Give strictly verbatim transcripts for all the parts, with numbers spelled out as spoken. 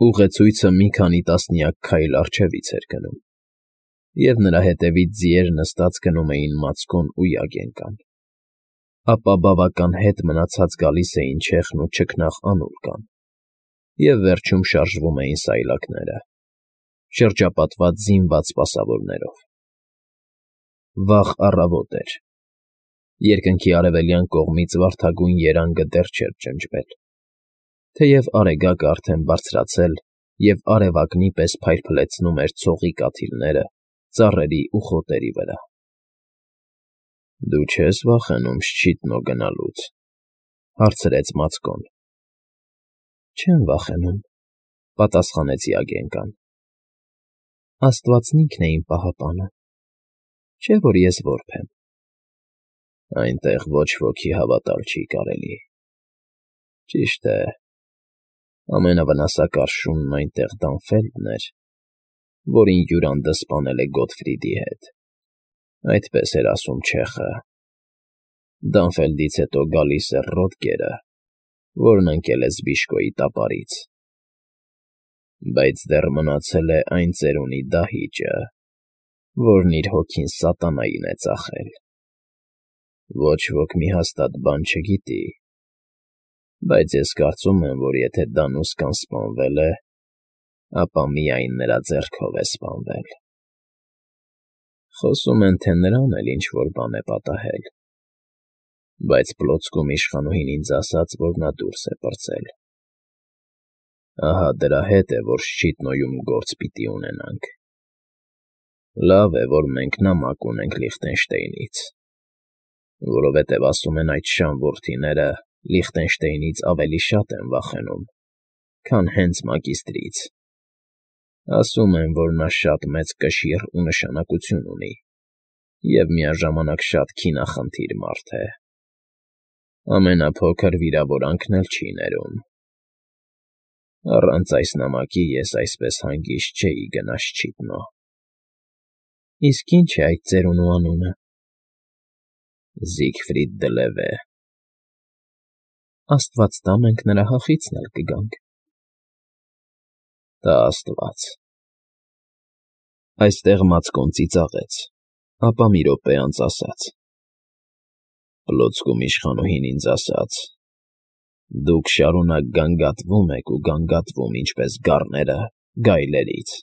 Ուղեցույցը մի քանի տասնյակ քայլ առջևից էր գնում, և նրա հետևից ձիեր նստած գնում էին Մացկոն ու Յագենկան, ապա բավական հետ մնացած գալիս էին Չեխն ու չքնաղ Անուլկան, և վերջում շարժվում էին սայլակները, շրջապատված զինված սպասավորներով։ Վաղ առավոտ էր, երկնքի արևելյան կողմից վարդագույն երանգը դեռ չէր ջնջվել, թեև արեգակը արդեն բարձրացել և արևակնի պես փայլփլեցնում էր ցողի կաթիլները ծառերի ու խոտերի վրա։ ֊ Դու չե՞ս վախենում Շչիտնո գնալուց,֊ հարցրեց Մացկոն։ ֊ Չեմ վախենում,֊ պատասխանեց Յագենկան։ Աստվածն ինքն է իմ պահապանը, չէ՞ որ ես որբ եմ։ ֊ Այնտեղ ոչ ոքի հավատալ չի կարելի։ Ճիշտ է, ամենավնասակար շունն այնտեղ Դանֆելդն էր, որին Յուրանդը սպանել է Գոթֆրիդի հետ, այդպես էր ասում չեխը։ Դանֆելդից հետո գալիս է Ռոդկերը, որն ընկել է Զբիշկոյի տապարից։ Բայց դեռ մնացել է այն ծերունի դահիճը, որն իր հոգին սատանային է ծախել։ Ոչ ոք մի հաստատ բան չգիտի, բայց ես կարծում եմ, որ եթե Դանուսկան սպանվել է, ապա միայն նրա ձեռքով է սպանվել։ Խոսում են, թե նրան էլ ինչ֊որ բան է պատահել, բայց Պլոցկում իշխանուհին ինձ ասաց, որ նա դուրս է պրծել։ Ահա դրա հետ է, որ Շչիտնոյում գործ պիտի ունենանք։ Լավ է, որ մենք նամակ ունենք Լիխտենշտեյնից, որովհետև ասում են այդ շան որդիները Լիխտենշտեյնից ավելի շատ են վախենում, քան հենց մագիստրից։ Ասում են, որ նա շատ մեծ կշիռ ու նշանակություն ունի և միաժամանակ շատ քինախնդիր մարդ է։ Ամենափոքր վիրավորանքն էլ չի ներում։ Առանց այս նամակի ես այսպես հանգիստ չէի գնա Շչիտնո։ ֊ Իսկ ի՞նչ է այդ ծերունու անունը։ ֊ Զիգֆրիդ դը Լևե։ ֊ Աստված տա, մենք նրա հախիցն էլ կգանք։ ֊ Տա աստված։ Այստեղ Մացկոն ծիծաղեց, ապա մի րոպե անց ասաց. Պլոցկում իշխանուհին ինձ ասաց. «Դուք շարունակ գանգատվում եք ու գանգատվում, ինչպես գառները, գայլերից։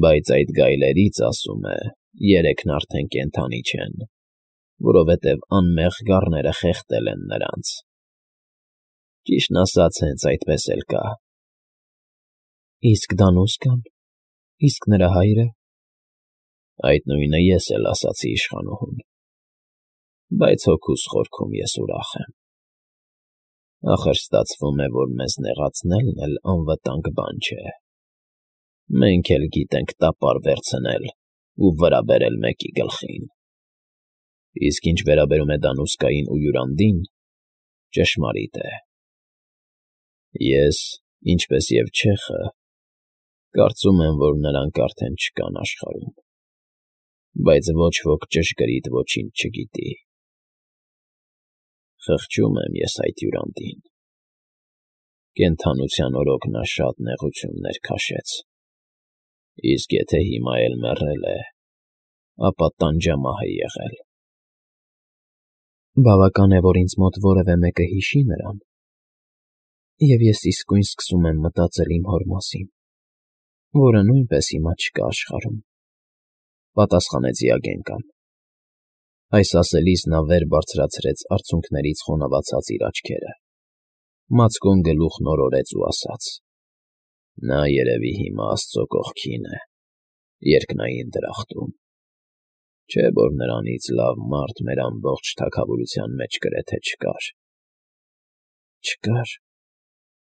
Բայց այդ գայլերից, ասում է, երեքն արդեն կենդանի չեն, որովհետև անմեղ գառները խեղդել են նրանց։ Ճիշտն ասած, հենց այդպես էլ կա։ ֊ Իսկ Դանուսկան, իսկ նրա հայրը։ ֊ Այդ նույնը ես էլ ասացի իշխանուհուն, բայց հոգուս խորքում ես ուրախ եմ։ Ախր ստացվում է, որ մեզ նեղացնելն էլ անվտանգ բան չէ։ Մենք էլ գիտենք տապար վերցնել ու վրա բերել մեկի գլխին։ Իսկ ինչ վերաբերում է Դանուսկային ու Յուրանդին, ճշմարիտ է։ Ես, ինչպես և չեխը, կարծում եմ, որ նրանք արդեն չկան աշխարհում, բայց ոչ ոք ճշգրիտ ոչինչ չգիտի։ Խղճում եմ ես այդ Յուրանդին։ Կենդանության օրոք նա շատ նեղություններ քաշեց, իսկ եթե հիմա էլ մեռել է, ապա տանջամահ է եղել։ ֊ Բավական է, որ ինձ մոտ որևէ մեկը հիշի նրան, և ես իսկույն սկսում եմ մտածել իմ հոր մասին, որը նույնպես հիմա չկա աշխարհում,֊ պատասխանեց Յագենկան։ Այս ասելիս նա վեր բարձրացրեց արցունքներից խոնավացած իր աչքերը։ Մացկոն գլուխն օրորեց ու ասաց. «Նա երևի հիմա աստծո կողքին է, երկնային դրախտում։ Չէ՞ որ նրանից լավ մարդ մեր ամբողջ թագավորության մեջ գրեթե չկար։ ֊ Չկար,֊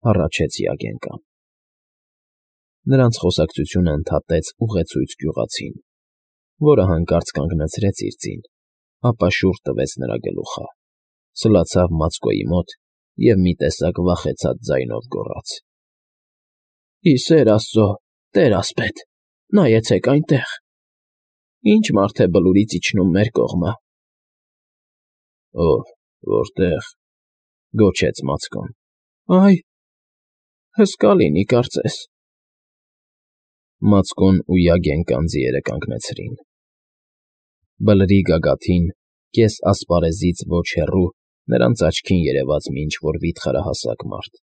հառաչեց Յագենկան։ Նրանց խոսակցությունը ընդհատեց ուղեցույց գյուղացին, որը հանկարծ կանգնացրեց իր ձին, ապա շուռ տվեց նրա գլուխը, սլացավ Մացկոյի մոտ և մի տեսակ վախեցած ձայնով գոռաց. «Ի սեր աստծո, տեր֊ասպետ, նայեցեք այնտեղ… Ի՞նչ մարդ է Բլուրից իջնում մեր կողմը»։ ֊ Ո՞վ, որտե՞ղ,֊ գոչեց Մացկոն։ ֊ Այ… Հսկա լինի, կարծես։ Մացկոն ու Յագենկան ձիերը կանգնեցրին։ Բլրի գագաթին, կես ասպարեզից ոչ հեռու, նրանց աչքին երևաց մի ինչ֊որ վիթխարահասակ մարդ։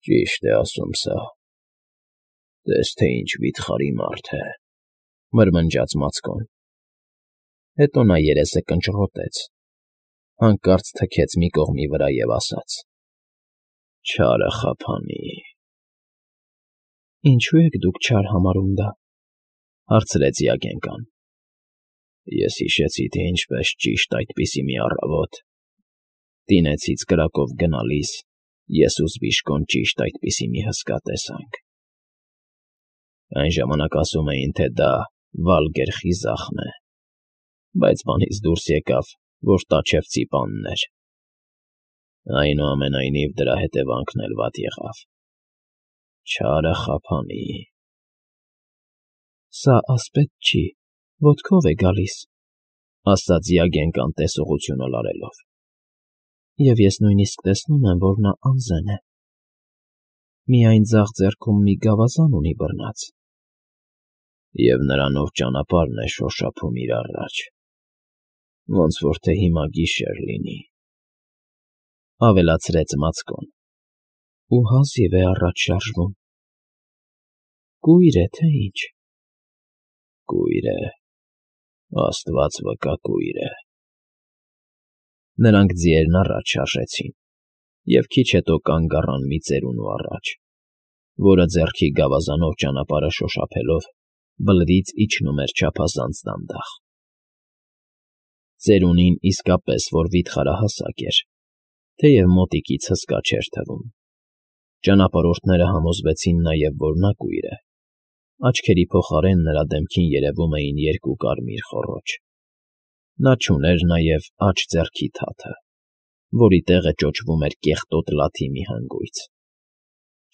Ճիշտ է ասում սա, տես թե ինչ վիթխարի մարդ է, մրմնջաց Մացկոն։ Հետո նա երեսը կնճռոտեց, հանկարծ թքեց մի կողմի վրա և ասաց. Չարը խափանի։ Ինչու եք դուք չար համարում դա, հարցրեց Յագենկան։ Ես հիշեցի, թե ինչպես ճիշտ այդպիսի մի առավոտ, տինեցից կրակով գնալիս, ես ու Զբիշկոն ճիշտ այդպիսի մի հսկա տեսանք։ Այն ժամանակ ասում էին, թե դա Վալգեր խիզախն է, բայց բանից դուրս եկավ, որ Տաչևցի պանն էր։ Այնուամենայնիվ դրա հետևանքն էլ վատ եղավ։ Չարը խափանի։ Սա ասպետ չի, ոտքով է գալիս, ասաց Յագենկան տեսողությունը լարելով։ Եվ ես նույնիսկ տեսնում եմ, որ նա անզեն է։ Միայն ձախ ձեռքում մի գավազան ունի բռնած։ Եվ նրանով ճանապարհն է շոշափում իր առաջ, ոնց որ թե հիմա գիշեր լինի, ավելացրեց Մացկոն։ Ու հազիվ է առաջ շարժվում։ Կույր է, թե ինչ։ Կույր է, աստված վկա կույր է։ Նրանք ձիերն առաջ շարժեցին, և քիչ հետո կանգ առան մի ծերունու առաջ, որը ձեռքի գավազանով ճանապարհը շոշափելով բլրից իջնում էր չափազանց դանդաղ։ Ծերունին իսկապես որ վիթխարահասակ էր, թեև մոտիկից հսկա չէր թվում։ Ճանապարհորդները համոզվեցին նաև, որ նա կույր է։ Աչքերի փոխարեն նրա դեմքին երևում էին երկու կարմիր խոռոչ։ Նա չուներ նաև աջ ձեռքի թաթը, որի տեղը ճոճվում էր կեղտոտ լաթի մի հանգույց։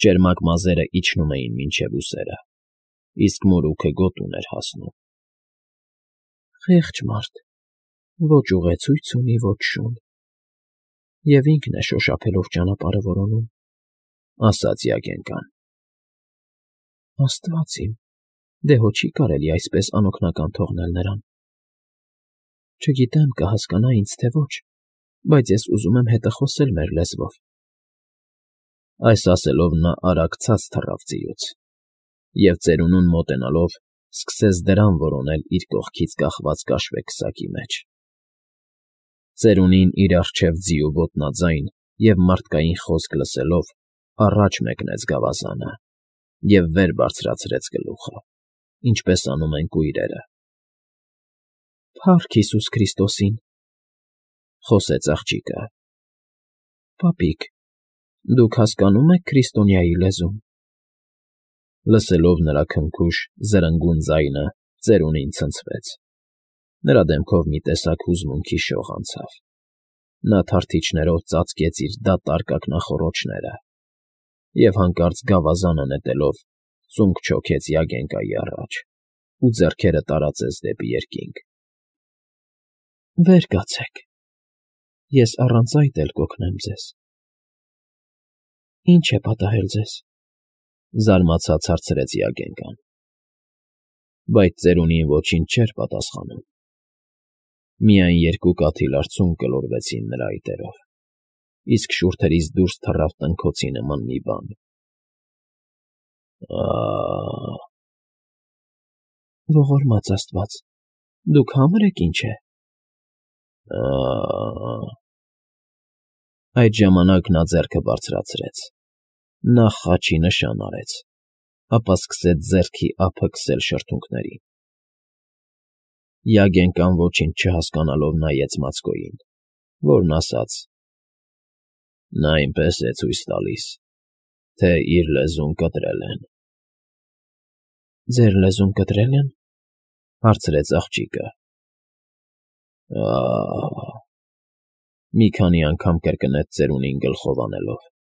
Ճերմակ մազերը իջնում էին մինչև ուսերը, իսկ մորուքը գոտուն էր հասնում։ Խեղճ մարդ, ոչ ուղեցույց ունի, ոչ շուն, և ինքն է շոշափելով ճանապարհը որոնում, ասաց Յագենկան։ Աստված իմ, դե հո չի կարելի այսպես անօգնական թողնել նրան։ Չգիտեմ կհասկանա ինձ, թե ոչ, բայց ես ուզում եմ հետը խոսել մեր լեզվով։ Այս ասելով նա արագ ցած թռավ ձիուց, և ծերունուն մոտենալով սկսեց դրան որոնել իր կողքից կախված կաշվե քսակի մեջ։ Ծերունին իր առջև ձիու ոտնաձայն և մարդկային խոսք լսելով առաջ մեկնեց գավազանը և վեր բարձրացրեց գլուխը, ինչպես անում են կույրերը։ Փառք Հիսուս Քրիստոսին, խոսեց աղջիկը։ Պապիկ, դուք հասկանո՞ւմ եք քրիստոնյայի լեզուն։ Լսելով նրա քնքուշ, զրնգուն ձայնը, ծերունին ցնցվեց։ Նրա դեմքով մի տեսակ հուզմունքի շող անցավ։ Նա թարթիչներով ծածկեց իր դատարկ ակնախոռոչները և հանկարծ գավազանը նետելով ծունկ չոքեց Յագենկայի առաջ ու ձեռքերը տարածեց դեպի երկինք։ Վեր կացեք, ես առանց այդ էլ կօգնեմ ձեզ։ Ինչ է պատահել ձեզ, զարմացած հարցրեց Յագենկան։ Բայց ծերունին ոչինչ չէր պատասխանում։ Միայն երկու կաթիլ արցունք գլորվեցին նրա այտերով, իսկ շուրթերից դուրս թռավ տնքոցի նման մի բան։ Ա՜… Ողորմած աստված, դուք հա՞մր եք, ինչ է։ Ա՜… Այդ ժամանակ նա ձեռքը բարձրացրեց, նախ խաչի նշան արեց, ապա սկսեց ձեռքի ափը քսել շրթունքներին։ Յագենկան ոչինչ չհասկանալով նայեց Մացկոյին, որն ասաց. Նա այնպես է ցույց տալիս, թե իր լեզուն կտրել են։ Ձեր լեզուն կտրել են, հարցրեց աղջիկը։ Ա՜… Մի քանի անգամ կրկնեց ծերունին գլխով անելով։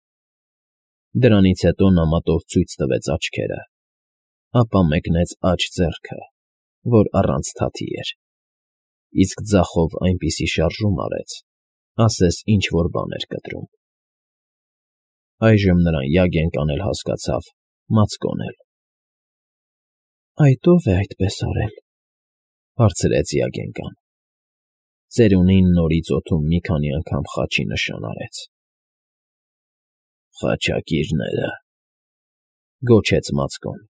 Դրանից հետո նա մատով ցույց տվեց աչքերը, ապա մեկնեց աջ ձեռքը, որ առանց թաթի էր, իսկ ձախով այնպիսի շարժում արեց, ասես ինչ֊որ բան էր կտրում։ Այժմ նրան Յագենկան էլ հասկացավ, Մացկոն էլ։ Այդ ո՞վ է այդպես արել,֊ հարցրեց Յագենկան։ Ծերունին նորից օդում մի քանի անգամ խաչի նշան արեց։ Խաչակիրները,֊ գոչեց Մացկոն։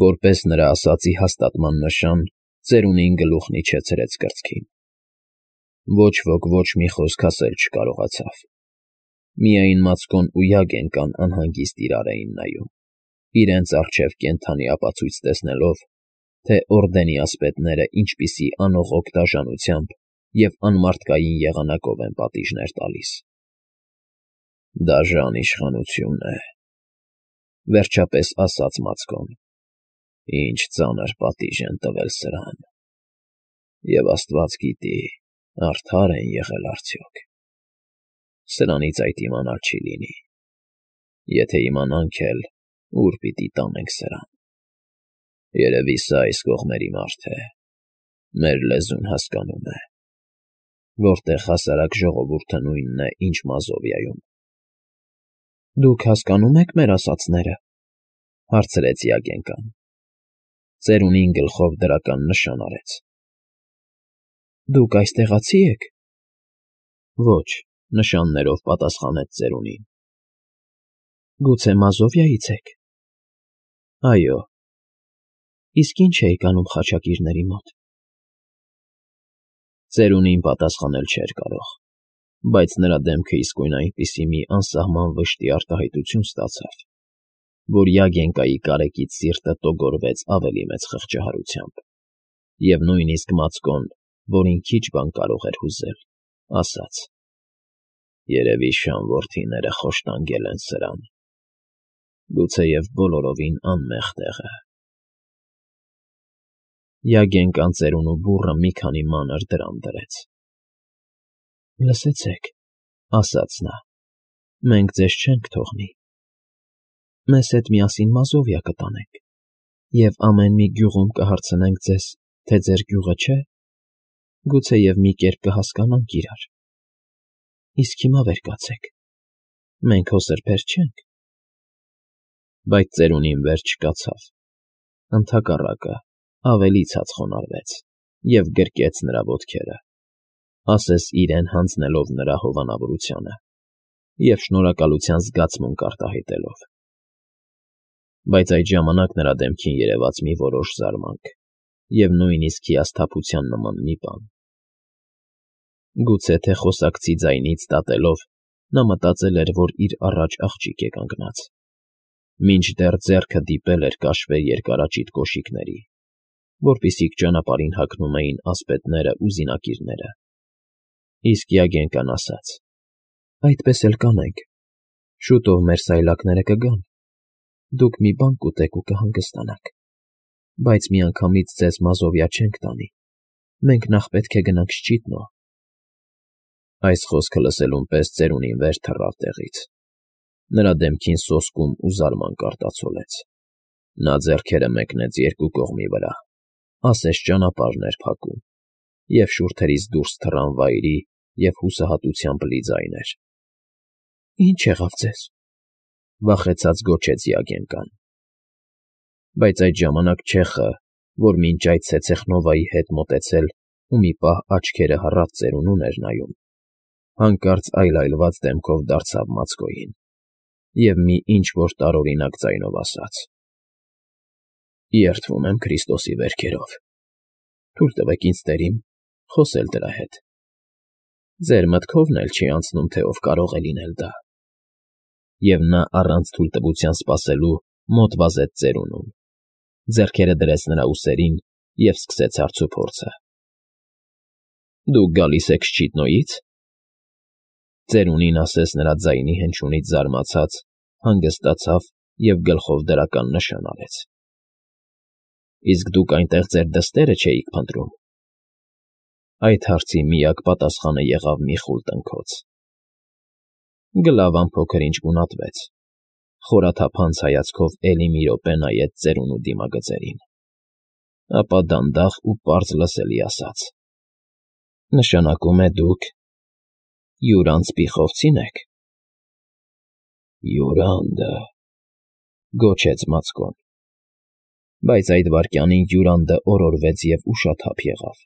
Որպես նրա ասածի հաստատման նշան, ծերունին գլուխն իջեցրեց կրծքին։ Ոչ ոք ոչ մի խոսք ասել չկարողացավ։ Միայն Մացկոն ու Յագենկան անհանգիստ իրար էին նայում, իրենց առջև կենդանի ապացույց տեսնելով, թե Օրդենի ասպետները ինչպիսի անողոք դաժանությամբ և անմարդկային եղանակով են պատիժներ տալիս։ «Դաժան իշխանություն է,֊ վերջապես ասաց Մացկոն,֊ ինչ ծանր պատիժ են տվել սրան։ Եվ աստված գիտի, արդար են եղել արդյոք։ Սրանից այդ իմանալ չի լինի։ Եթե իմանանք էլ, ուր պիտի տանենք սրան։ Երևի սա այս կողմերի մարդ է, մեր լեզուն հասկանում է, որտեղ հասարակ ժողովուրդը նույնն է, ինչ Մազովիայում»։ Դուք հասկանո՞ւմ եք մեր ասածները,֊ հարցրեց Յագենկան։ Ծերունին գլխով դրական նշան արեց։ Դուք այստեղացի եք։ Ոչ, նշաններով պատասխանեց ծերունին։ Գուցե Մազովիայից եք։ Այո։ Իսկ ինչ էիք անում խաչակիրների մոտ։ Ծերունին պատասխանել չէր կարող, բայց նրա դեմքը իսկույն այնպիսի մի անսահման վշտի արտահայտություն ստացավ, որ Յագենկայի կարեկից սիրտը տոգորվեց ավելի մեծ խղճահարությամբ, և նույնիսկ Մացկոն, որին քիչ բան կարող էր հուզել, ասաց. «Երևի շան որդիները խոշտանգել են սրան, գուցեև բոլորովին անմեղ տեղը»։ Յագենկան ծերունու բուռը մի քանի մանր դրամ դրեց։ Լսեցեք,֊ ասաց նա,֊ մենք ձեզ չենք թողնի։ Մեզ հետ միասին Մազովիա կտանենք, և ամեն մի գյուղում կհարցնենք ձեզ, թե ձեր գյուղը չէ, գուցեև մի կերպ կհասկանանք իրար։ Իսկ հիմա վեր կացեք, մենք հո սրբեր չենք։ Բայց ծերունին վեր չկացավ, ընդհակառակը, ավելի ցած խոնարհվեց և գրկեց նրա ոտքերը, ասես իրեն հանձնելով նրա հովանավորությանը և շնորհակալության զգացմունք արտահայտելով։ Բայց այդ ժամանակ նրա դեմքին երևաց մի որոշ զարմանք և նույնիսկ հիասթափության նման մի բան։ Գուցե թե խոսակցի ձայնից դատելով, նա մտածել էր, որ իր առաջ աղջիկ է կանգնած, մինչդեռ ձեռքը դիպել էր կաշվե երկարաճիտ կոշիկների, որպիսիք ճանապարհին հագնում էին ասպետներն ու զինակիրները։ Իսկ Յագենկան ասաց. «Այդպես էլ կանենք, շուտով մեր սայլակները կգան, դուք մի բան կուտեք ու կհանգստանաք, բայց միանգամից ձեզ Մազովիա չենք տանի, մենք նախ պետք է գնանք Շճիտնո»։ Այս խոսքը լսելուն պես ծերունին վեր թռավ տեղից։ Նրա դեմքին սոսկում ու զարմանք արտացոլեց։ Նա ձեռքերը մեկնեց երկու կողմի վրա, ասես ճանապարհն էր փակում, և շուրթերից դուրս թռան վայրի և հուսահատությամբ լի ձայներ։ Ի՞նչ եղավ ձեզ,֊ վախեցած գոչեց Յագենկան։ Բայց այդ ժամանակ չեխը, որ մինչ այդ ցեցեխնովայի հետ մոտեցել ու մի պահ աչքերը հառած ծերունուն էր նայում, հանկարծ այլայլված դեմքով դարձավ Մացկոյին և մի ինչ֊որ տարօրինակ ձայնով ասաց. «Երդվում եմ Քրիստոսի վերքերով, թույլ տվեք ինձ, տերիմ, խոսել դրա հետ։ Ձեր մտքովն էլ չի անցնում, թե ով կարող է լինել դա»։ Եվ նա առանց թույլտվության սպասելու մոտ վազեց ծերունուն, ձեռքերը դրեց նրա ուսերին և սկսեց հարցուփորձը. «Դուք գալի՞ս եք Շճիտնոյից»։ Ծերունին, ասես նրա ձայնի հնչյունից զարմացած, հանգստացավ և գլխով դրական նշան արեց։ «Իսկ դուք այնտեղ ձեր դստե՞րը չէիք փնտրում»։ Այդ հարցի միակ պատասխանը եղավ մի խուլ տնքոց։ Գլավան փոքր֊ինչ գունատվեց, խորաթափանց հայացքով էլի մի րոպե նայեց ծերունու դիմագծերին, ապա դանդաղ ու պարզ լսելի ասաց. «Նշանակում է դուք յուր անձբիխովցի՞ն եք»։ Յուրանդը, գոչեց Մացկոն։ Բայց այդ վայրկյանին Յուրանդը օրորվեց և ուշաթափ եղավ։